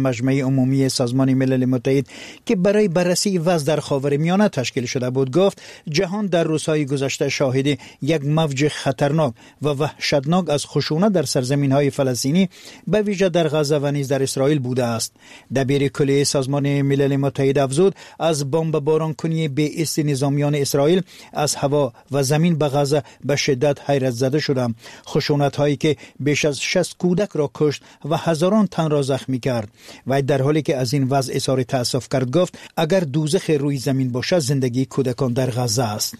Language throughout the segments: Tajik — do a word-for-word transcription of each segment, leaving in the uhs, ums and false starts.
مجمع عمومی سازمان ملل متحد که برای بررسی وضع در خاورمیانه تشکیل شده بود گفت جهان در روزهای گذشته شاهد یک موج خطرناک و وحشتناک از خشونت در سرزمین‌های فلسطینی به ویژه در غزه و نیز در اسرائیل بوده است. دبیر کلی سازمان ملل متحد افزود از بمباران کنی بی ایست نظامیان اسرائیل از هوا و زمین به غزه به شدت حیرت زده شدم. خشونت هایی که بیش از شصت کودک را کشت و هزاران تن را زخمی کرد. و در حالی که از این وضع اظهار تأسف کرد گفت اگر دوزخ روی زمین باشد زندگی کودکان در غزه است.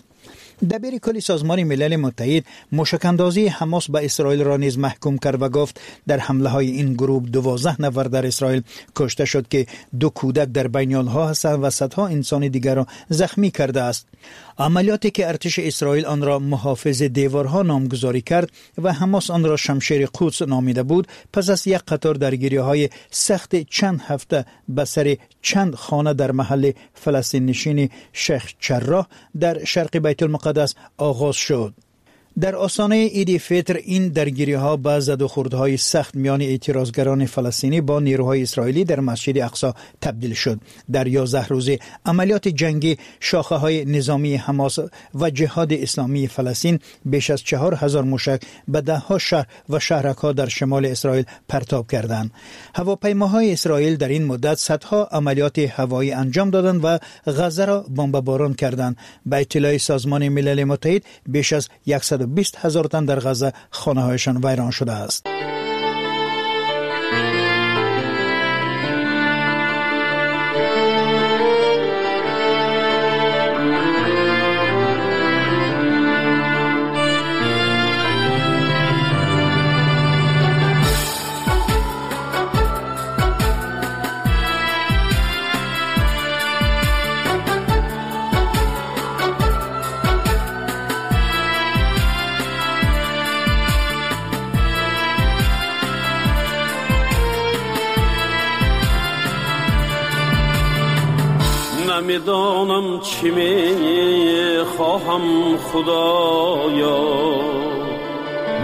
دبیر کل سازمان ملل متحد موشک‌اندازی حماس به اسرائیل را نیز محکوم کرد و گفت در حمله های این گروه دوازده نفر در اسرائیل کشته شد که دو کودک در بین آنها هستند و صدها انسان دیگر را زخمی کرده است. عملیاتی که ارتش اسرائیل آن را محافظ دیوارها نامگذاری کرد و حماس آن را شمشیر قدس نامیده بود، پس از یک قطار درگیری های سخت چند هفته به سر چند خانه در محل فلسطین نشین شیخ جراح در شرق بیت المقدس آغاز شد. در آستانه عید فطر این درگیری ها به زد و خوردهای سخت میان اعتراضگران فلسطینی با نیروهای اسرائیلی در مسجد اقصی تبدیل شد. در یازده روزه عملیات جنگی شاخه های نظامی حماس و جهاد اسلامی فلسطین بیش از چهار هزار موشک به ده ها شهر و شهرک ها در شمال اسرائیل پرتاب کردند. هواپیماهای اسرائیل در این مدت صدها عملیات هوایی انجام دادند و غزه را بمباران کردند. به اطلاع سازمان ملل متحد بیش از صد و بیست هزار تن در غزه خانه هایشان ویران شده است. نمیدانم چی میخواهم خدایا،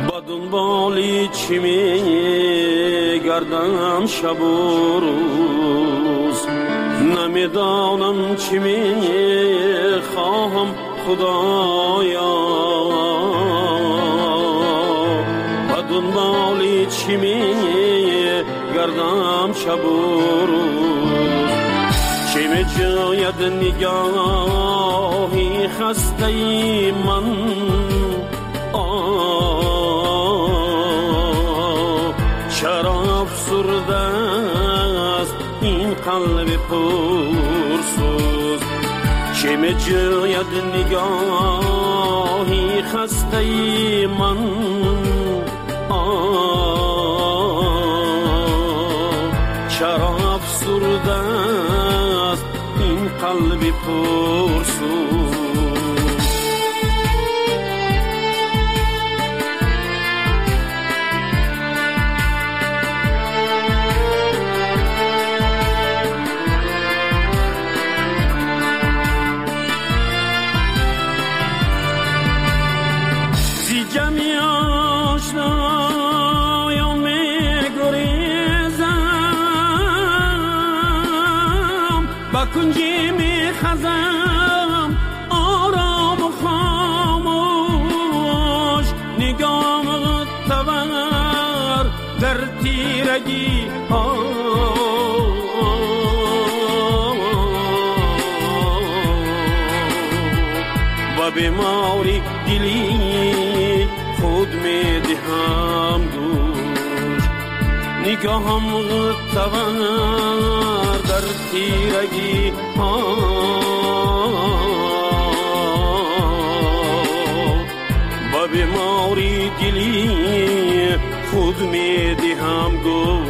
با دنبالی چی میگردم شب و روز. نمیدانم چی میخواهم خدایا، با دنبالی چی میگردم شب و روز. چه می‌جوید نگاهی خسته من، آه چرا افسرده است این قلب پرسوز. چه می‌جوید نگاهی خسته من، آه چرا افسرده قلبی پرسوز. زی جمعی آشنایان می‌گریزم، با کنجی خزم آرام و خاموش، نگاه تور در تیرگی ها. و بیماری دلی خود می دهم گوش، نگاهم تور در تیرگی ها. با بیماری دلی خود می دهم گوش.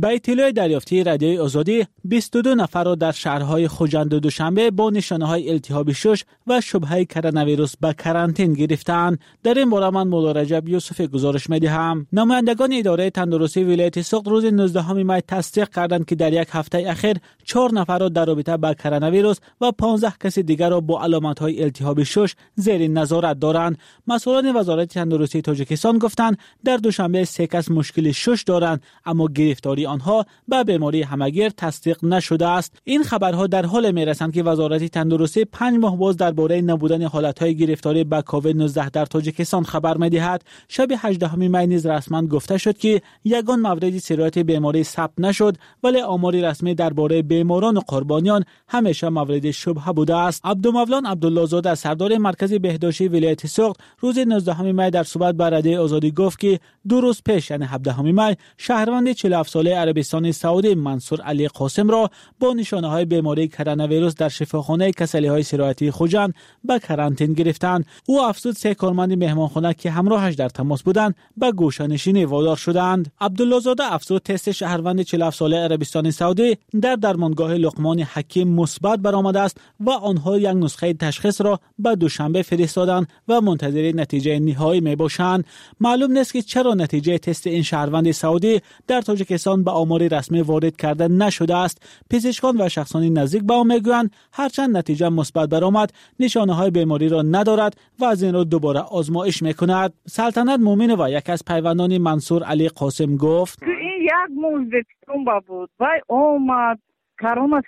Ба иттилои дарёфтии Радиои Озодӣ, бисту ду нафарро дар шаҳрҳои Хуҷанд ва Душанбе бо нишонаҳои илтиҳоби шуш ва шубҳаи коронавирус ба карантин гирифтаанд. Дар ин бора ман Мулло Раҷаб Юсуфӣ гузориш медиҳам. Намояндагони идораи тандурустии вилояти Суғд рӯзи нӯздаҳуми май тасдиқ карданд, ки дар як ҳафтаи ахир чор нафарро дар робита ба коронавирус ва понздаҳ каси дигарро бо аломатҳои илтиҳоби шуш зери назорат доранд. Масъулони Вазорати тандурустии Тоҷикистон гуфтанд, дар Душанбе се кас мушкили шуш доранд, аммо гирифтории онҳо ба бемории ҳамагир тасдиқ нашудааст. Ин хабарҳо дар ҳоле мерасанд, ки Вазорати тандурустӣ панҷ моҳ боз дар бораи набудани ҳолатҳои гирифторӣ ба ковид нӯздаҳ дар Тоҷикистон хабар медиҳад. Шаби ҳаждаҳуми май низ расман гуфта шуд, ки ягон мавриди сирояти беморӣ сабт нашуд, вале омори расмӣ дар бораи беморон ва қурбониён ҳамеша мавриди шубҳа будааст. Абдумавлон Абдуллозода, сардори маркази беҳдоштии вилояти Суғд, рӯзи нӯздаҳуми май дар суҳбат ба Радиои Озодӣ гуфт, ки ду рӯз пеш, яъне ҳабдаҳуми май, шаҳрванди чилу ҳафт солаи Арабистони Саудӣ Мансур Али Қосимро бо нишонаҳои бемории коронавирус дар шифохонаи касалиҳои сироятии Хуҷанд ба карантин гирифтанд. Ӯ афзуд, се корманди меҳмонхона, ки ҳамроҳаш дар тамос буданд, ба гӯшанишинӣ водор шуданд. Абдуллозода афзуд, тести шаҳрванди чилу ҳафт солаи Арабистони Саудӣ дар дармонгоҳи Луқмони Ҳаким мусбат баромадааст ва онҳо як нусхаи ташхисро ба Душанбе фиристоданд ва мунтазири натиҷаи ниҳоӣ мебошанд. Маълум нест, ки чаро натиҷаи тести ин шаҳрванди Саудӣ дар Тоҷикистон ба омори расмӣ ворид карда нашудааст. Пизишкон ва шахсони наздик ба ӯ мегӯянд, ҳарчанд натиҷа мусбат баромад, нишонаҳои бемориро надорад ва аз ин рӯ дубора озмоиш мекунад. Салтанат Муминова, яке аз пайвандони Мансур Али Қосим, гуфт: ин як моҳ Ӯзбекистон ба буд, вай омад, корона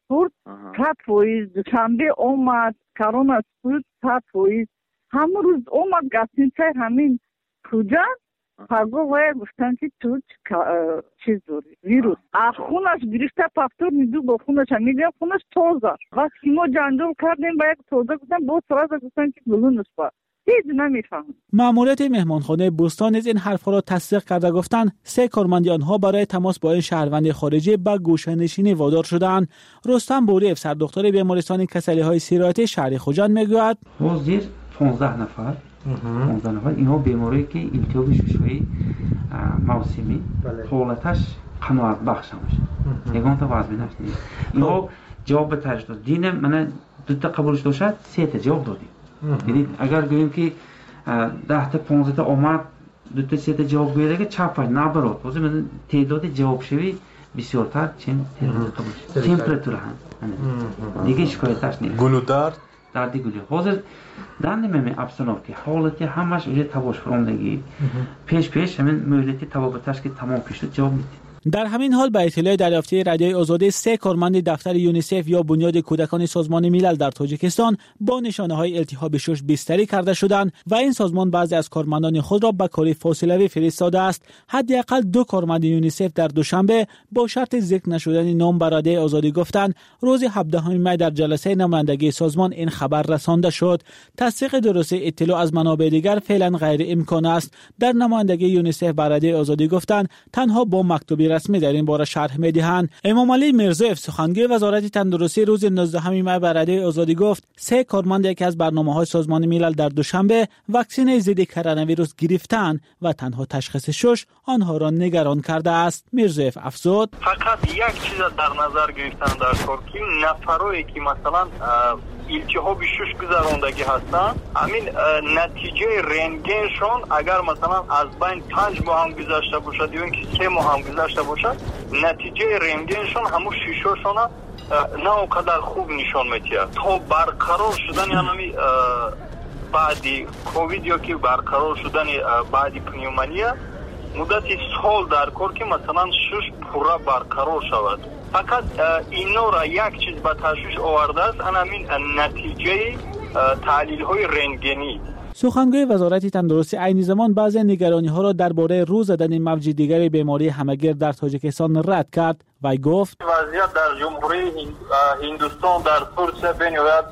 спурт сад фоиз, Душанбе омад, корона спурт сад фоиз. Ҳамон рӯз омад гостиницаи ҳамин Хуҷанд, паго вая гуфтанд, ки ту чиз дорӣ, вирус. А хунаш гирифта повторный ду бо хунаша мегӯям, хунаш тоза. Вақте ки мо ҷанҷол кардем, ба як тоза гуфтан, боз сразу гуфтанд, ки гулунаш ба. Ҳеҷ намефаҳмам. Маъмурияти меҳмонхонаи Бӯстон низ ин ҳарфҳоро тасдиқ карда гуфтанд, се корманди онҳо барои тамос бо ин шаҳрванди хориҷӣ ба гӯшанишинӣ водор шудаанд. Рустам Буриев, сардухтури бемористони касалиҳои сироятии шаҳри Хуҷанд, мегӯяд: ҳозир понздаҳ нафар понздаҳ нафар инҳо беморие ки илтиҳоби шушҳои мавсимӣ, ҳолаташ қаноатбахш ҳамаша, ягонта вазминаш нест. Инҳо ҷавоб ба ташхис дод. Дина мана дута қабулш дошад, сета ҷавоб додем. Яъне агар гӯем, ки даҳта понздаҳта омад, дута сета ҷавоб гӯяд, чапаш наоборот, ҳозир мана теъдоди ҷавобшавӣ бисёртар, чем теъдоди қабулш. Температура ҳам дигар шикояташ нест. Гулудард, дарди гулӣ. Ҳозир данный момент обстановки ҳолати ҳамаш уже табош фуромдагӣ. Пеш пеш ҳамин муҳлати табобаташ ки тамом шуд, ҷавоб медиҳем. Дар ҳамин ҳол, ба иттилои дарёфтии Радиои Озодӣ, се корманди дафтари ЮНИСЕФ ё Бунёди кӯдакони Созмони Милал дар Тоҷикистон бо нишонаҳои илтиҳоби шуш бистарӣ карда шуданд ва ин созмон баъзе аз кормандони худро ба кори фосилавӣ фиристодааст. Ҳадди ақал ду корманди ЮНИСЕФ дар Душанбе бо шарти зикр нашудани ном ба Радиои Озодӣ гуфтанд, рӯзи ҳабдаҳуми май дар ҷаласаи намояндагии созмон ин хабар расонда шуд. Тасдиқи дурустии иттилоъ аз манобеи дигар феълан ғайриимкон аст. Дар намояндагии ЮНИСЕФ ба Радиои Озодӣ гуфтанд, танҳо бо мактуби расмӣ дар ин бора шарҳ медиҳанд. Эмомалӣ Мирзоев, сухангӯи Вазорати тандурустӣ, рӯзи нӯздаҳуми май ба Радиои Озодӣ гуфт, се корманд яке аз барномаҳои Созмони Милал дар Душанбе ваксинаи зидди коронавирус гирифтаанд ва танҳо ташхиси шуш онҳоро нигарон кардааст. Мирзоев афзуд: фақат як чиза дар назар гирифтан дар кор, ки нафарое ки масалан илтиҳоби шуш гузарондагӣ ҳастанд, ҳамин натиҷаи рентгеншон агар масалан аз байн панҷ моҳ ҳам гузашта бошад ё ин ки се моҳ ҳам гузашта бошад, натиҷаи рентгеншон ҳамун шишошона на он қадар хуб нишон медиҳад. То барқарор шудани ҳамин баъди ковид ё ки барқарор шудани баъди пневмония муддати сол дар кор, ки масалан шуш пурра барқарор шавад. Фақат инора як чиз ба ташвиш овардааст, ана ҳамин натиҷаи таҳлилҳои рентгенӣ. Сухангӯи Вазорати тандурустӣ айни замон баъзе нигарониҳоро дар бораи рӯ задани мавҷи дигари бемории ҳамагир дар Тоҷикистон рад кард. Вай гуфт: вазъият дар Ҷумҳурии Ҳиндустон, дар Турсия бениҳоят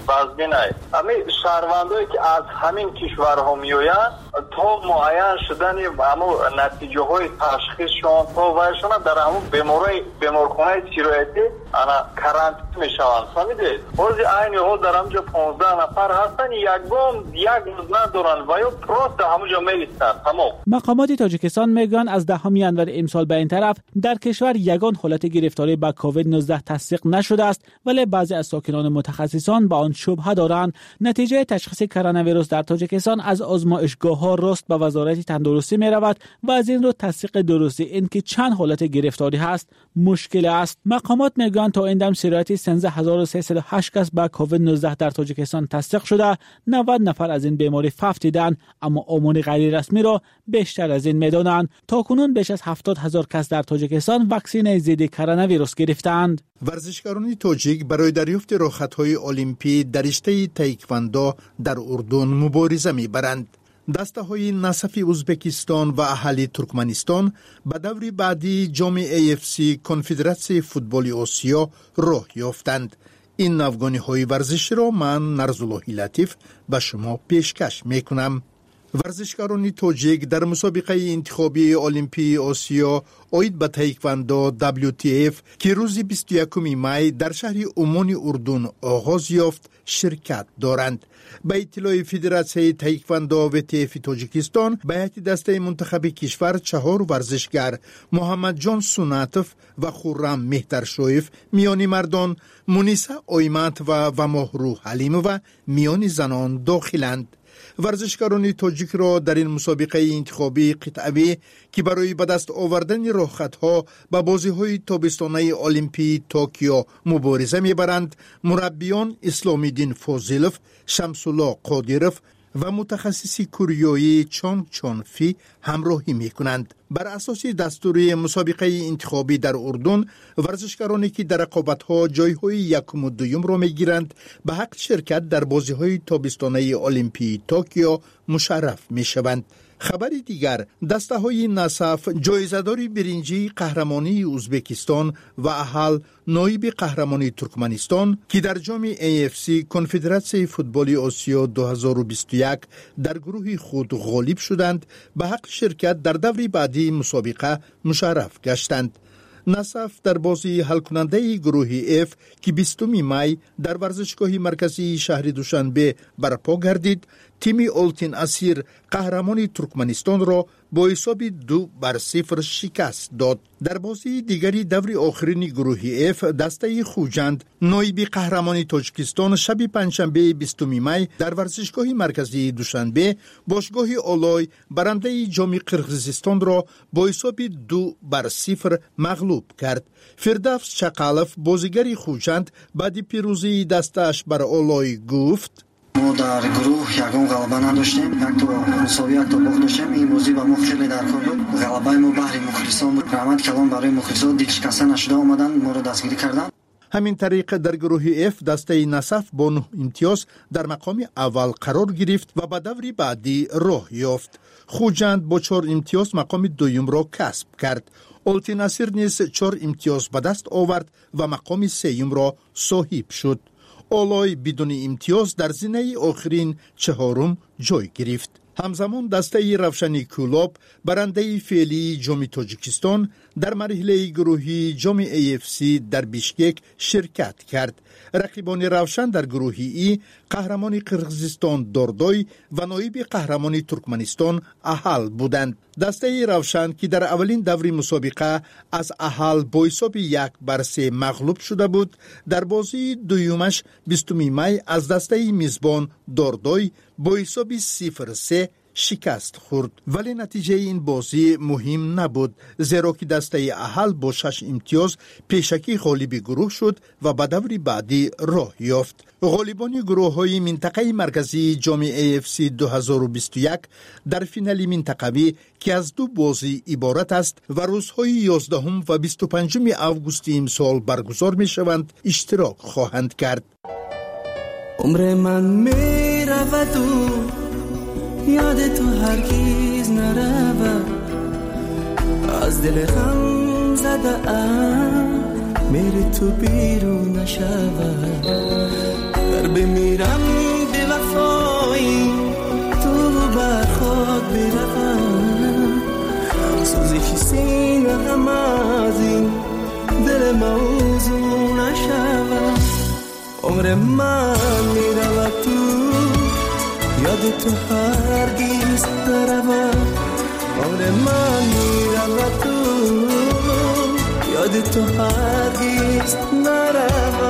вазмин аст. Ҳамин шаҳрвандое ки аз ҳамин кишварҳо меоянд, То муайян шудани ҳамун натиҷаҳои ташхисшон то вайшона дар ҳамун беморои беморхонаи сироятӣ ана карантин мешаванд. Фаҳмидед? Ҳозир айни ҳол дар ҳамҷо понздаҳ нафар ҳастанд, ягон як рӯз надоранд ва ё просто ҳамунҷо меистанд. Тамом. Мақомоти Тоҷикистон мегӯянд, аз даҳуми январи имсол ба ин тараф дар кишвар ягон ҳолати гирифторӣ ба ковид нуздаҳ тасдиқ нашудааст, вале баъзе аз сокинону мутахассисон ба он шубҳа доранд. Натиҷаи ташхиси коронавирус дар Тоҷикистон аз озмоишгоҳҳо рост ба Вазорати тандурустӣ меравад ва аз ин рӯ тасдиқи дурустӣ ин ки чанд ҳолати гирифторӣ ҳаст мушкил аст. Мақомот мегӯянд, то ин дам сирояти сездаҳ ҳазору сесаду ҳашт кас ба ковид нуздаҳ дар Тоҷикистон тасдиқ шуда, навад нафар аз ин беморӣ фавтиданд, аммо омори ғайрирасмиро бештар аз ин медонанд. То кунун беш аз ҳафтод ҳазор кас дар Тоҷикистон ваксинаи зидди коронавирус гирифтаанд. Варзишгарони тоҷик барои дарёфти роҳхатҳои олимпӣ дар риштаи таеквондо дар Урдун мубориза мебаранд. Дастаҳои Насафи Узбекистон ва Аҳали Туркманистон ба даври баъдии ҷоми A F C Конфедератсияи футболи Осиё роҳ ёфтанд. Ин навгониҳои варзиширо ман, Нарзуллоҳи Латиф, ба шумо пешкаш мекунам. Варзишгарони тоҷик дар мусобиқаи интихобии Олимпии Осиё оид ба таеквондо W T F, ки рӯзи бисту якуми май дар шаҳри Уммони Урдун оғоз ёфт, ширкат доранд. Ба иттилои Федератсияи таеквондо W T F Тоҷикистон, ба ҳайати дастаи мунтахаби кишвар чаҳор варзишгар: Муҳаммадҷон Сунатов ва Хуррам Меҳтаршоев миёни мардон, Муниса Ойматова ва Моҳрӯ Ҳалимова миёни занон дохиланд. Варзишгарони тоҷикро дар ин мусобиқаи интихобии қитъавӣ, ки барои ба даст овардани роҳхатҳо ба бозиҳои тобистонаи Олимпии Токио мубориза мебаранд, мураббиён Исломиддин Фозилов, Шамсулло Қодиров ва мутахассиси кӯриёӣ Чонг Чонфи ҳамроҳӣ мекунанд. Бар асоси дастури мусобиқаи интихобӣ дар Урдун, варзишгароне ки дар рақобатҳо ҷойҳои якуму дуюмро мегиранд, ба ҳаққи ширкат дар бозиҳои тобистонаи Олимпии Токио мушарраф мешаванд. Хабари дигар: дастаҳои Насаф, ҷоизадори биринҷии қаҳрамонии Узбекистон, ва Аҳал, ноиби қаҳрамони Туркманистон, ки дар ҷоми A F C Конфедератсияи футболи Осиё ду ҳазору бисту як дар гурӯҳи худ ғолиб шуданд, ба ҳаққи ширкат дар даври баъдии мусобиқа мушарраф гаштанд. Насаф дар бозии ҳалкунандаи гурӯҳи Ф, ки бистуми май дар варзишгоҳи марказии шаҳри Душанбе барпо гардид, тими Олтин Асир, қаҳрамони Туркманистонро бо ҳисоби ду бар сифр шикаст дод. Дар бозии дигари даври охирини гурӯҳи Ф, дастаи Хуҷанд, ноиби қаҳрамони Тоҷикистон, шаби панҷшанбеи бистуми май дар варзишгоҳи марказии Душанбе бошгоҳи Олой, барандаи ҷоми Қирғизистонро бо ҳисоби ду бар сифр мағлуб кард. Фирдавс Чақалов, бозигари Хуҷанд, баъди пирӯзии дастааш бар Олой гуфт: Мо дар гурӯҳ ягон ғалаба надоштем, якто мусовӣ, якто бохт доштем. Ин бозӣ ба мо хеле даркор буд. Ғалабаи мо баҳри мухлисон буд. Раҳмати калон барои мухлисон, дилшикаста нашуда омаданд, моро дастгирӣ карданд. Ҳамин тариқ, дар гурӯҳи Ф дастаи Насаф бо нӯҳ имтиёз дар мақоми аввал қарор гирифт ва ба даври баъдӣ роҳ ёфт. Хуҷанд бо чор имтиёз мақоми дуюмро касб кард. Олтинасир низ чор имтиёз ба даст овард ва мақоми сеюмро соҳиб шуд. Олой бидуни имтиёз дар зинаи охирин, чаҳорум ҷой гирифт. Ҳамзамон, дастаи Равшани Кӯлоб, барандаи феълии ҷоми Тоҷикистон, дар марҳилаи гурӯҳии ҷоми A F C дар Бишкек ширкат кард. Рақибони Равшан дар гурӯҳи И қаҳрамони Қирғизистон Дордой ва ноиби қаҳрамони Туркманистон Аҳал буданд. Дастаи Равшан, ки дар аввалин даври мусобиқа аз Аҳал бо ҳисоби як бар се мағлуб шуда буд, дар бозии дуюмаш бистуми май аз дастаи мизбон Дордой бо ҳисоби сифр се шикаст хӯрд. Вале натиҷаи ин бозӣ муҳим набуд, зеро ки дастаи Аҳал бо шаш имтиёз пешакӣ ғолиби гурӯҳ шуд ва ба даври баъдӣ роҳ ёфт. Ғолибони гурӯҳҳои минтақаи марказии ҷоми A F C ду ҳазору бисту як дар финали минтақавӣ, ки аз ду бозӣ иборат аст ва рӯзҳои ёздаҳум ва бисту панҷуми августи имсол баргузор мешаванд, иштирок хоҳанд кард. Умри ман мераваду ёди ту ҳаргиз наравад аз дили ғамзадаам, мери ту берун нашавад. Гар бимирам, бевафои ту бар хок. عمر من میرود تو یاد تو هرگز نرود عمر من میرود تو یاد تو هرگز نرود.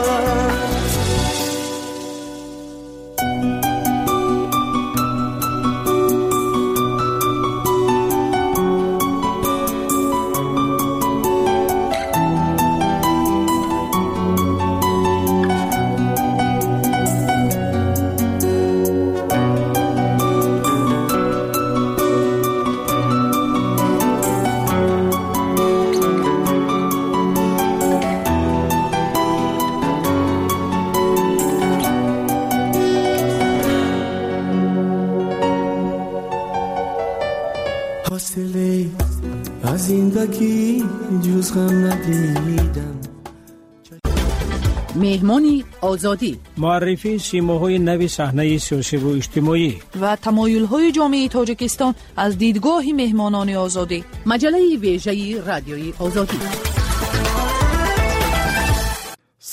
زندگی جز غم ندیدم. меҳмони озодӣ муаррифии симоҳои нави саҳнаи сиёсиву иҷтимоӣ ва тамоюлҳои ҷомеаи Тоҷикистон аз дидгоҳи меҳмонони озодӣ. Маҷаллаи вежаи радиои озодӣ.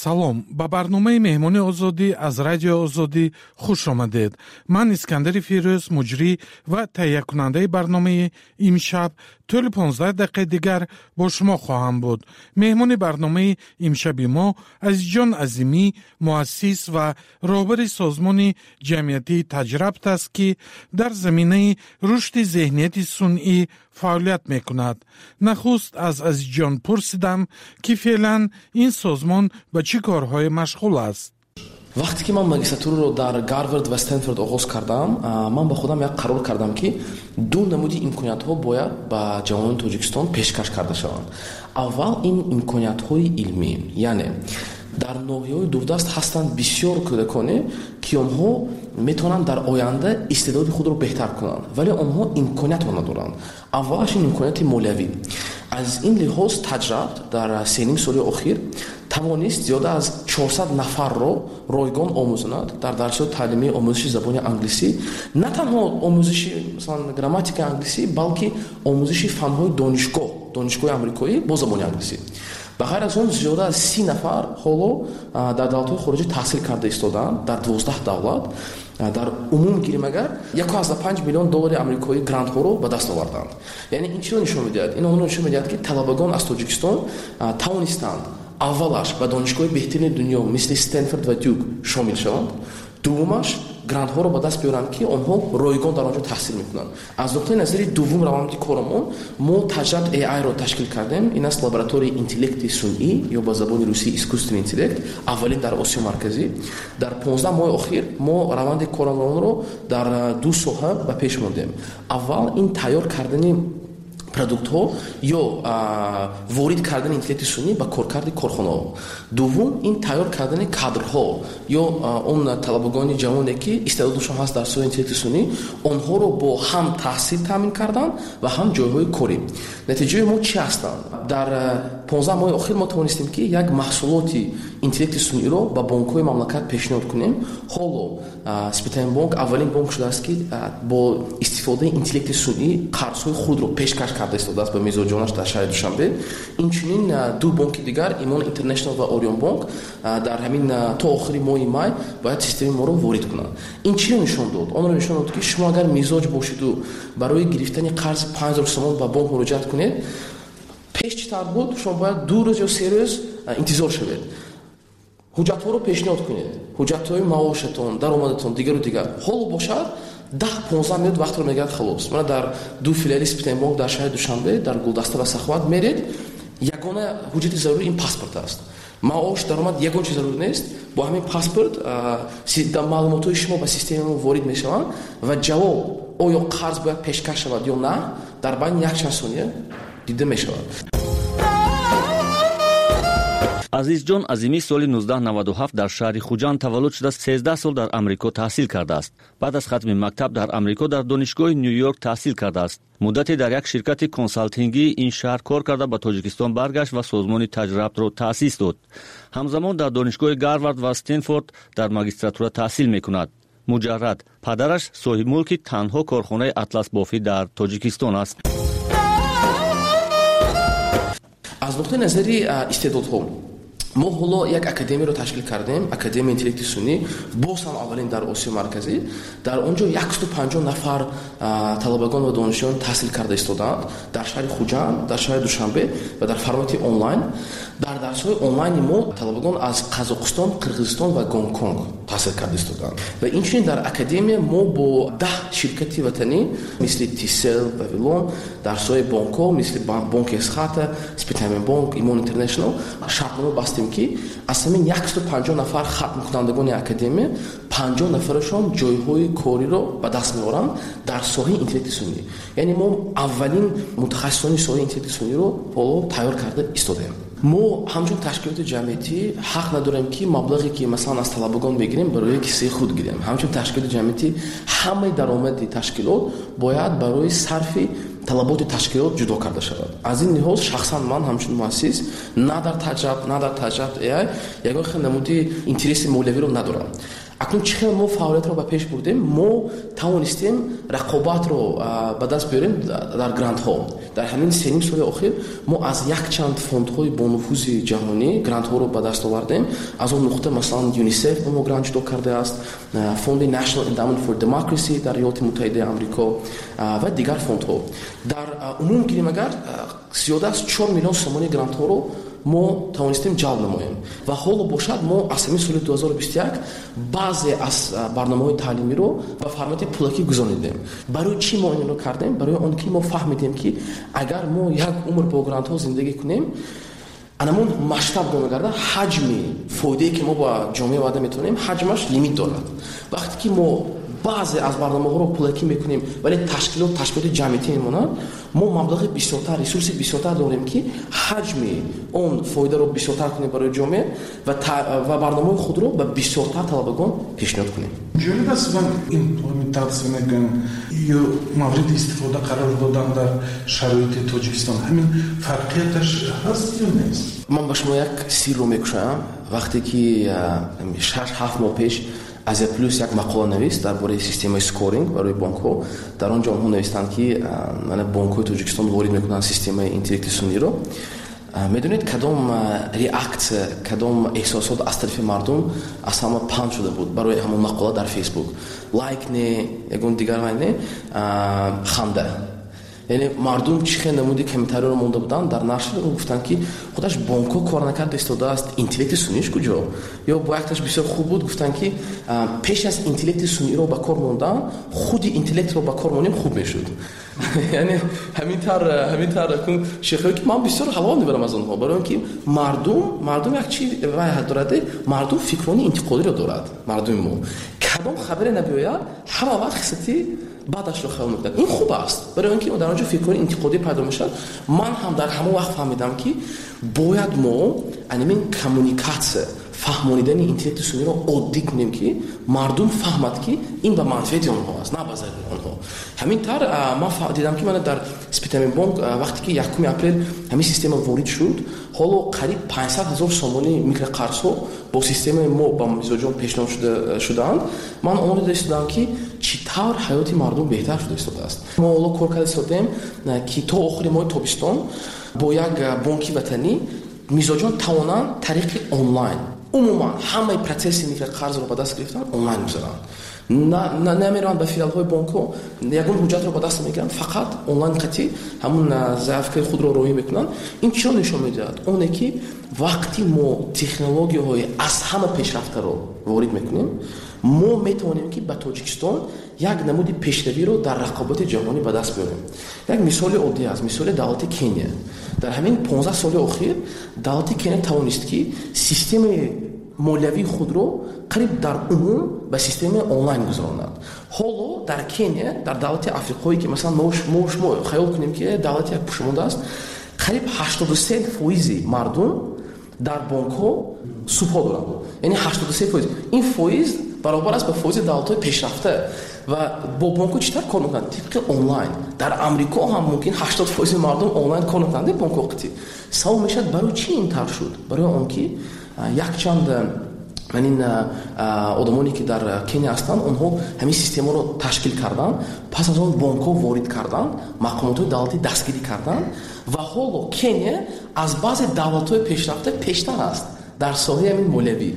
Салом, ба барномаи меҳмони озодӣ аз радиои озодӣ хуш омадед. Ман Искандари Фирӯз, муҷрӣ ва таҳиякунандаи барномаи имшаб тӯли понздаҳ дақиқаи дигар бо шумо хоҳам буд. Меҳмони барномаи имшаби мо Азизҷон Азимӣ, муассис ва роҳбари созмони ҷамъиятии Таҷрабт аст, ки дар заминаи рушди зеҳнияти сунъӣ фаъолият мекунад. Нахуст аз Азизҷон пурсидам, ки феълан ин созмон ба чӣ корҳое машғул аст. Вақте ки ман магистратураро дар Гарвард ва Стэнфорд оғоз кардам, ман ба худам як қарор кардам, ки ду намуди имкониятҳо бояд ба ҷавонони Тоҷикистон пешкаш карда шаванд. Аввал ин имкониятҳои илмӣ, яъне дар ноҳияҳои дурдаст ҳастанд бисёр кӯдаконе, ки онҳо метавонанд дар оянда истеъдоди худро беҳтар кунанд, вале онҳо имкониятро надоранд. Аввалаш ин имконияти молиявӣ. Аз ин лиҳоз Таҷрабт дар се ним соли охир тавонист зиёда аз чорсад нафарро ройгон омӯзонад дар дарсҳои таълимии омӯзиши забони англисӣ, на танҳо омӯзиши масалан грамматикаи англисӣ, балки омӯзиши фанҳои донишгоҳ, донишгоҳи амрикоӣ бо забони англисӣ. Ба ғайр аз он зиёда аз си нафар ҳоло дар давлатҳои хориҷӣ таҳсил карда истодаанд, дар дувоздаҳ давлат. Дар умум гирем агар як ва панҷ миллион доллари амрикоӣ грантҳоро ба даст оварданд. Яъне ин чиро нишон медиҳад? Ин онро нишон медиҳад, ки талабагон аз Тоҷикистон тавонистанд аввалаш ба донишгоҳи беҳтарини дунё мисли Стэнфорд ва Дюк шомил шаванд, дуввумаш грантҳоро ба даст биёранд, ки онҳо ройгон дар он ҷо таҳсил мекунанд. Аз нуқтаи назари дуввум раванди корамон мо Таҷрабт эй ай-ро ташкил кардем. Ин аст лабораторияи интеллекти сунъӣ ё ба забони русӣ искусственный интеллект, аввалин дар Осиёи Марказӣ. Дар понздаҳ моҳи охир мо раванди корамонро дар ду соҳа ба пеш мондем. Аввал ин тайёр кардани продуктҳо ё ворид кардани интеллекти сунъӣ ба коркарди корхонаҳо. Дуввум ин тайёр кардани кадрҳо ё он талабагони ҷавоне, ки истеъдодашон ҳаст дар соҳаи интеллекти сунъӣ, онҳоро бо ҳам таҳсил таъмин кардан ва ҳам ҷойҳои корӣ. Натиҷаи мо чӣ ҳастанд? Дар понздаҳ моҳи охир мо тавонистем, ки як маҳсулоти интеллекти сунъиро ба бонкҳои мамлакат пешниҳод кунем. Ҳоло Спитамен бонк аввалин бонк шудааст, ки бо истифодаи интеллекти сунъӣ қарзҳои худро пешкаш карда истодааст ба мизоҷонаш дар шаҳри Душанбе. Инчунин ду бонки дигар, Имон Интернешнал ва Орион бонк, дар ҳамин то охири моҳи май бояд системаи моро ворид кунанд. Ин чиро нишон дод? Онро нишон дод, ки шумо агар мизоҷ бошиду барои гирифтани қарзи панҷ ҳазор сомон ба бонк муроҷиат кунед, пеш чӣ тавр буд? Шумо бояд ду рӯз ё се рӯз интизор шавед, ҳуҷҷатҳоро пешниҳод кунед, ҳуҷҷатҳои маошатон, даромадатон, дигару дигар. Ҳоло бошад даҳ понздаҳ минут вақтро мегирад, халос. Мана дар ду филиали Спитамен бонк дар шаҳри Душанбе, дар Гулдаста ва Саховат меред, ягона ҳуҷҷати зарурӣ ин паспорт аст. Маош, даромад ягон чиз зарур нест. Бо ҳамин паспорт маълумотҳои шумо ба системаи мо ворид мешаванд ва ҷавоб оё қарз бояд пешкаш шавад ё на дар байни якчанд сония дида мешавад. Азизҷон Азимӣ соли нуздаҳ наваду ҳафт дар шаҳри Хуҷанд таваллуд шуда, сездаҳ сол дар Амрико таҳсил кардааст. Баъд аз хатми мактаб дар Амрико дар донишгоҳи Нью-Йорк таҳсил кардааст. Муддате дар як ширкати консалтингии ин шаҳр кор карда, ба Тоҷикистон баргашт ва созмони Таҷрабтро таъсис дод. Ҳамзамон дар донишгоҳи Гарвард ва Стэнфорд дар магистратура таҳсил мекунад. Муҷаррад падараш соҳибмулки танҳо корхонаи атласбофӣ дар Тоҷикистон аст. Аз нуқтаи назари истеъдодҳо Мо ҳоло як академияро ташкил кардем, Академияи интеллекти сунъӣ, боз ҳам аввалин дар Осиёи Марказӣ. Дар он ҷо яксаду панҷоҳ нафар талабагон ва донишҷӯён таҳсил карда истодаанд дар шаҳри Хуҷанд, дар шаҳри Душанбе ва дар формати онлайн. Дар дарсҳои онлайни мо талабагон аз Қазоқистон, Қирғизистон ва Гонконг таҳсил карда истодаанд. Ва инчунин дар академия мо бо даҳ ширкати ватанӣ мисли Тисел, Вавилон, дарсҳои бонкҳо мисли Бонки Эсхата, Спитамен Бонк, Имон Интернешнл шартнома бастем, ки аз ҳамин яксаду панҷоҳ нафар хатмкунандагони академия панҷоҳ нафарашон ҷойҳои кориро ба даст меоранд дар соҳаи интеллекти сунъӣ. Яъне мо аввалин мутахассисони соҳаи интеллекти сунъиро ҳоло тайёр карда истодаем. Мо ҳамчун ташкилоти ҷамъиятӣ ҳақ надорем, ки маблағе ки масалан аз талабагон мегирем барои кисаи худ гирем. Ҳамчун ташкилоти ҷамъиятӣ ҳамаи даромади ташкилот бояд барои сарфи талаботи ташкилот ҷудо карда шавад. Аз ин лиҳоз шахсан ман ҳамчун муассис на дар Таҷаб, на дар Таҷаб эй ай ягон хел намуди интереси молиявиро надорам. Акнун чӣ хел мо фаъолиятро ба пеш бурдем? Мо тавонистем рақобатро ба даст биёрем дар грантҳо. Дар ҳамин сеним соли охир мо аз якчанд фондҳои бонуфузи ҷаҳонӣ грантҳоро ба даст овардем. Аз он нуқта масалан ЮНИСЕФ ба мо грант ҷудо кардааст, фонди National Endowment for Democracy дар Иёлоти Муттаҳидаи Амрико ва дигар фондҳо. Дар умум гирем агар зиёда аз чор миллион сомонии грантҳоро мо тавонистем ҷалб намоем. Ва ҳоло бошад мо аз ҳамин соли ду ҳазору бисту як баъзе аз барномаҳои таълимиро ба формати пулакӣ гузаронидем. Барои чӣ мо инро кардем? Барои он ки мо фаҳмидем, ки агар мо як умр бо грантҳо зиндагӣ кунем, анамон масштаб гомегарда ҳаҷми фоидае ки мо ба ҷомеа ваъда метавонем, ҳаҷмаш лимит дорад. Вақте ки мо баъзе аз барномаҳоро пулакӣ мекунем, вале ташкилот ташкилоти ҷамъиятӣ мемонад, мо маблағи бисёртар, ресурси бисёртар дорем, ки ҳаҷми он фоидаро бисёртар кунем барои ҷомеа ва, ва барномаҳои худро ба бисёртар талабагон пешниҳод кунем. Ҷолиб аст ва имплементатсия мегӯям ё мавриди истифода қарор додан дар шароити Тоҷикистон, ҳамин фарқияташ ҳаст ё нест? Ман ба шумо як сирро мекушоям. Вақте ки шаш ҳафт моҳ пеш Азия Плюс як мақола навист дар бораи системаи скоринг барои бонкҳо. Дар он ҷо онҳо навистанд, ки бонкҳои Тоҷикистон ворид мекунанд системаи интеллекти сунъиро. Медонед кадом реаксия, кадом эҳсосот аз тарафи мардум аз ҳама паҳн шуда буд барои ҳамон мақола дар Фейсбук? Лайк не, ягон дигар вай не, ханда. Яъне мардум чӣ хел намуди комментариёро монда буданд дар нашр, гуфтанд, ки худаш бонкҳо кор накарда истодааст, интеллекти сунъиш куҷо? Ё бо якташ бисёр хуб буд, гуфтанд, ки пеш аз интеллекти сунъиро ба кор мондан, худи интеллектро ба кор монем хуб мешуд. Яъне ҳамин тавр, ҳамин тавр шехҳое ки ман бисёр ҳаловат мебарам аз онҳо, барои он ки мардум, мардум як чи вай дорад, мардум фикрони интиқодиро дорад. Мардуми мо кадом хабаре набиёяд, ҳама вақт хисати баъдашро хаёл мекунад. Ин хуб аст, барои он ки дар он ҷо фикрҳои интиқодӣ пайдо мешавад. Ман ҳам дар ҳамон вақт фаҳмидам, ки бояд мо анамин коммуникатсия, фаҳмонидани интеллекти сунъиро оддӣ кунем, ки мардум фаҳмад, ки ин ба манфиати онҳо аст, на ба зарари онҳо. Ҳамин тавр ман дидам, ки мана дар Спитамен Бонк вақте ки якуми апрел ҳамин система ворид шуд, ҳоло қариб панҷсад ҳазор сомонии микроқарзҳо бо системаи мо ба мизоҷон пешниҳод шудаанд. Ман онро дида истодам, ки чӣ тавр ҳаёти мардум беҳтар шуда истодааст. Мо ҳоло кор карда истодаем, ки то охири моҳи тобистон бо як бонки ватанӣ мизоҷон тавонанд тариқи онлайн умуман ҳамаи процесси микроқарзро ба даст гирифтан онлайн гузаранд. Намераванд ба филиалҳои бонкҳо, ягон ҳуҷҷатро ба даст намегиранд, фақат онлайн қатъи ҳамун заявкаи худро роҳӣ мекунанд. Ин чиро нишон медиҳад? Оне ки вақти мо технологияҳои аз ҳама пешрафтаро ворид мекунем, мо метавонем, ки ба Тоҷикистон як намуди пешравиро дар рақобати ҷаҳонӣ ба даст биёрем. Як мисоли оддӣ аст, мисоли давлати Кения. Дар ҳамин понздаҳ соли охир давлати Кения тавонист, ки системаи молиявии худро қариб дар умум ба системаи онлайн гузаронад. Ҳоло дар Кения, дар давлати Африқое ки масалан мо шумо хаёл кунем, ки давлати як пушмонда аст, қариб ҳаштоду се фоизи мардум дар бонкҳо субҳо доранд. Яъне ҳаштоду се фоиз. Ин фоиз баробар аст ба фоизи давлатҳои пешрафта. Ва бо бонкҳо чӣ тавр кор мекунанд? Тибқи онлайн. Дар Амрико ҳам мумкин ҳаштод фоизи мардум онлайн кор мекунанд бонкҳо қатъи. Савол мешавад, барои чӣ ин тавр шуд? Барои он ки якчанд ин одамоне ки дар Кения ҳастанд, онҳо ҳамин системаро ташкил карданд, пас аз он бонкҳо ворид карданд, мақомотҳои давлатӣ дастгирӣ карданд ва ҳоло Кения аз баъзе давлатҳои пешрафта пештар аст Дар соҳаи ҳамин молиявӣ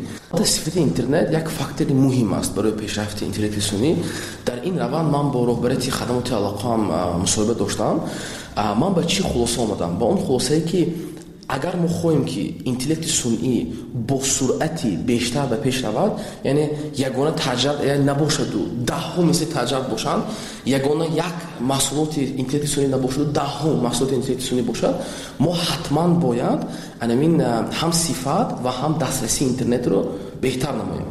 сифати интернет як фактори муҳим аст барои пешрафти интеллекти сунъӣ. Дар ин раванд ман бо роҳбарияти хадамоти алоқаам мусоҳиба доштам. Ман ба чӣ хулоса омадам? Ба он хулосае ки агар мо хоҳем ки интеллекти сунъӣ бо суръати бештар ба пеш равад, яъне ягона таҷриб набошаду даҳҳо мисли таҷриб бошанд, ягона як маҳсулоти интеллекти сунъӣ набошаду даҳҳо маҳсулоти интеллекти сунъӣ бошад, мо ҳатман бояд анамин ҳам сифат ва ҳам дастрасии интернетро беҳтар намоем.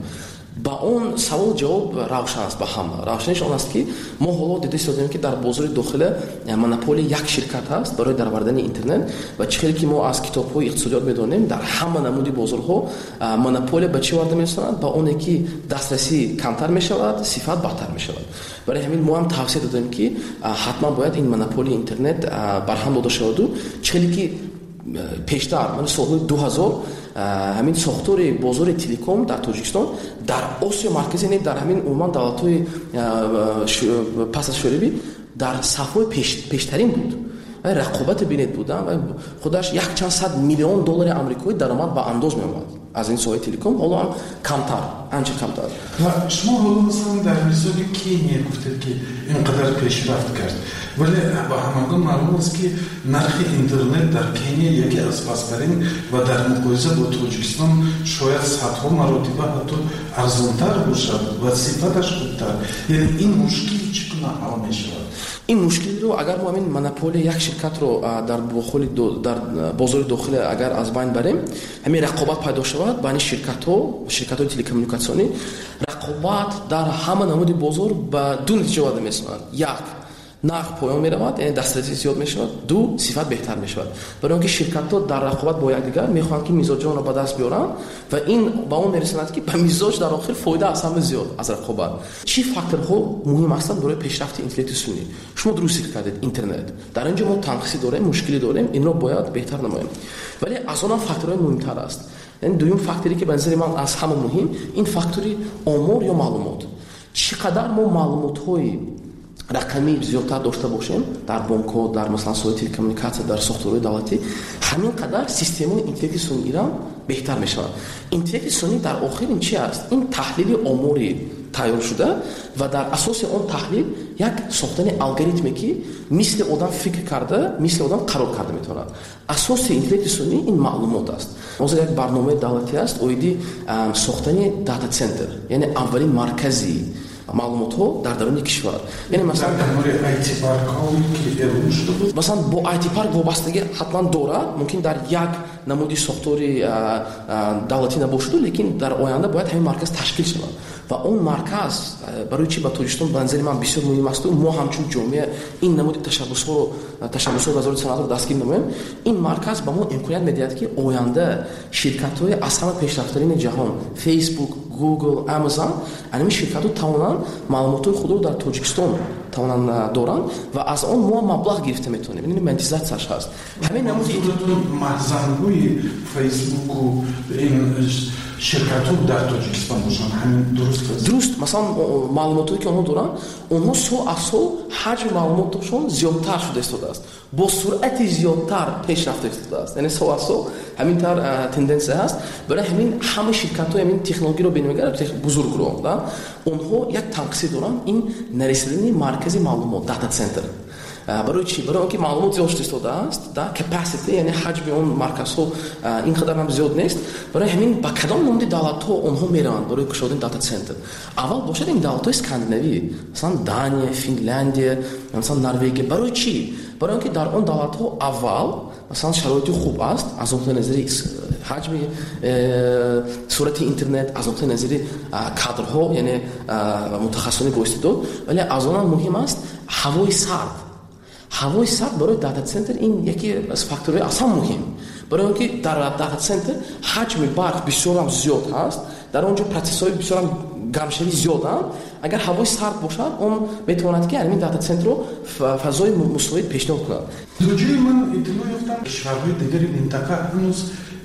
Ба он савол ҷавоб равшан аст ба ҳама. Равшаниш он аст ки мо ҳоло дида истодем ки дар бозори дохила монополия як ширкат ҳаст барои даровардани интернет ва чӣ хеле ки мо аз китобҳои иқтисодиёт медонем, дар ҳама намуди бозорҳо монополия ба чӣ оварда мерасонад? Ба оне ки дастрасӣ камтар мешавад, сифат бадтар мешавад. Барои ҳамин мо ҳам тавсия додем ки ҳатман бояд ин монополияи интернет барҳам дода шаваду чӣ хеле ки пештар, мана солҳои ду ҳазор ҳамин сохтори бозори телеком дар Тоҷикистон дар Осиё Марказӣ, не дар ҳамин умуман давлатҳои пас аз шӯравӣ дар сафҳои пештарин буд. Рақобати бинед буда ва худаш якчанд сад миллион доллари амрикоӣ даромад ба андоз меомад аз ин соҳаи телеком. Ҳоло ҳам камтар, анча камтар. Ва шумо ҳоло масалан дар мисоли Кения гуфтед ки ин қадар пешрафт кард, вале ба ҳамагон маълум аст ки нархи интернет дар Кения яке аз пасттарин ва дар муқоиса бо Тоҷикистон шояд садҳо маротиба ҳатто арзонтар бошад ва сифаташ хубтар. Яъне ин мушкил чӣ гуна ҳал мешавад? Ин мушкилро агар мо ҳамин монополия як ширкатро дар дар бозори дохила агар аз байн барем, ҳамин рақобат пайдо шавад байни ширкатҳо, ширкатҳои телекоммуникатсионӣ, рақобат дар ҳама намуди бозор ба ду натиҷа оварда мерасонад. Як, нарх поён меравад, яъне дастрасӣ зиёд мешавад. Ду, сифат беҳтар мешавад. Барои он ки ширкатҳо дар рақобат бо якдигар мехоҳанд ки мизоҷонро ба даст биёранд ва ин ба он мерасонад ки ба мизоҷ дар охир фоида аз ҳама зиёд аз рақобат. Чӣ факторҳо муҳим ҳастанд барои пешрафти интеллекти сунъӣ? Шумо дуруст зикр кардед, интернет. Дар ин ҷо мо танқисӣ дорем, мушкилӣ дорем, инро бояд беҳтар намоем. Вале аз он ҳам факторҳои муҳимтар аст. Яъне дуюм факторе ки ба назари ман аз ҳама муҳим, ин фактори омор ё маълумот. Чӣ қадар мо маълумотҳои рақамӣ зиёдтар дошта бошем дар бонкҳо, дар масалан соҳаи телекоммуникатсия, дар сохторҳои давлатӣ, ҳамин қадар системаи интеллекти сунъиро беҳтар мешавад. Интеллекти сунъӣ дар охир ин чи аст? Ин таҳлили омори тайёр шуда ва дар асоси он таҳлил як сохтани алгоритме ки мисли одам фикр карда, мисли одам қарор карда метавонад. Асоси интеллекти сунъӣ ин маълумот аст. Ҳозир як барномаи давлатӣ аст оиди сохтани дата-центр, яъне аввалин маркази маълумотҳо дар даруни кишвар. Яъне масалан масалан бо ай ти парк вобастагӣ ҳатман дорад, мумкин дар як намуди сохтори давлатӣ набошаду, лекин дар оянда бояд ҳамин марказ ташкил шавад. Ва он марказ барои чӣ ба Тоҷикистон ба назари ман бисёр муҳим асту мо ҳамчун ҷомеа ин намуди ташаббусҳоро, ташаббусҳои вазорати саноатро дастгир намоем, ин марказ ба мо имконият медиҳад ки оянда ширкатҳои аз ҳама пешрафтарини ҷаҳон, Facebook, Google, Amazon, ҳамин ширкатҳо тавонанд маълумотҳои худро дар Тоҷикистон тавонанд доранд ва аз он мо маблағ гирифта метавонем. Ин монетизатсияш ҳаст. Ҳамин намуди маҳзанҳои Фейсбуку ин ширкатҳо дар Тоҷикистон бошанд, ҳамин дуруст аст? Дуруст. Масалан маълумотҳое ки онҳо доранд, онҳо сол аз сол ҳаҷми маълумоташон зиёдтар шуда истодааст, бо суръати зиёдтар пеш рафта истодааст. Яъне сол аз сол ҳамин тавр тенденсия ҳаст. Барои ҳамин ҳама ширкатҳои ҳамин технологиро бинмегарданд, бузургро, онҳо як танқисӣ доранд, ин нарасидани маркази маълумот, дата-центр. Барои чӣ? Барои он ки маълумот зиёд шуда истодааст, capacity, яъне ҳаҷми он марказҳо ин қадар ҳам зиёд нест. Барои ҳамин ба кадом намуди давлатҳо онҳо мераванд барои кушодани дата-центр? Аввал бошад ин давлатҳои скандинавӣ, масалан Дания, Финляндия, масалан Норвегия. Барои чӣ? Барои он ки дар он давлатҳо аввал масалан шароити хуб аст аз нуқтаи назари ҳаҷми сурати интернет, аз нуқтаи назари кадрҳо, яъне мутахассисони боистеъдод, вале аз он ҳам муҳим аст ҳавои сард. Ҳавои сард барои дата-центр ин яке аз факторҳои аслан муҳим. Барои он ки дар дата-центр ҳаҷми барқ бисёр ҳам зиёд ҳаст, дар он ҷо процессҳои бисёр ҳам гармшавӣ зиёданд. Агар ҳавои сард бошад, он метавонад ки ҳамин дата-центрро фазои мусоид пешниҳод кунад. То ҷое ман иттилоъ ёфтам, кишварҳои дигари минтақа ҳанӯз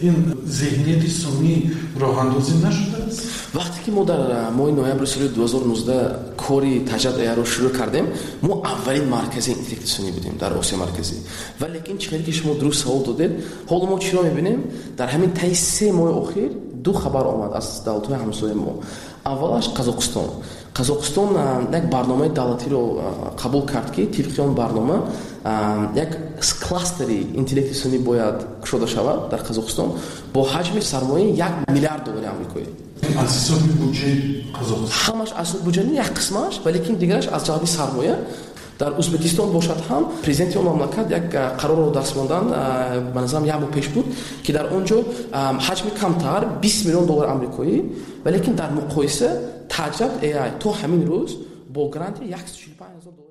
ин зеҳнияти сунъӣ роҳандозӣ нашудааст. аст? Вақте ки мо дар моҳи ноябри соли ду ҳазору нуздаҳ кори Таҷрат A I-ро шурӯъ кардем, мо аввалин маркази интеллекти сунъӣ будем дар Осиёи Марказӣ. Ва лекин чӣ хеле ки шумо дуруст савол додед, ҳоло мо чиро мебинем? Дар ҳамин таи се моҳи охир ду хабар омад аз давлатҳои ҳамсояи мо. Аввалаш Қазоқистон. Қазоқистон як барномаи давлатиро қабул кард, ки тибқи он барнома як кластери интеллекти сунъӣ бояд кушода шавад дар Қазоқистон бо ҳаҷми сармояи як миллиард доллари амрикоӣ. Аз ҳисоби буҷаи Қазоқистон? Ҳамаш аз буҷа не, як қисмаш, ва лекин дигараш аз ҷалби сармоя. Дар Узбекистон бошад ҳам, президенти он мамлакат як қарорро даст мондан, ба назарам, як моҳ пеш буд, ки дар он ҷо ҳаҷми камтар, бист миллион доллари амрикоӣ. Ва лекин дар муқоиса Таҷрат A I то ҳамин рӯз бо гранти яксаду чилу панҷ ҳазор доллар.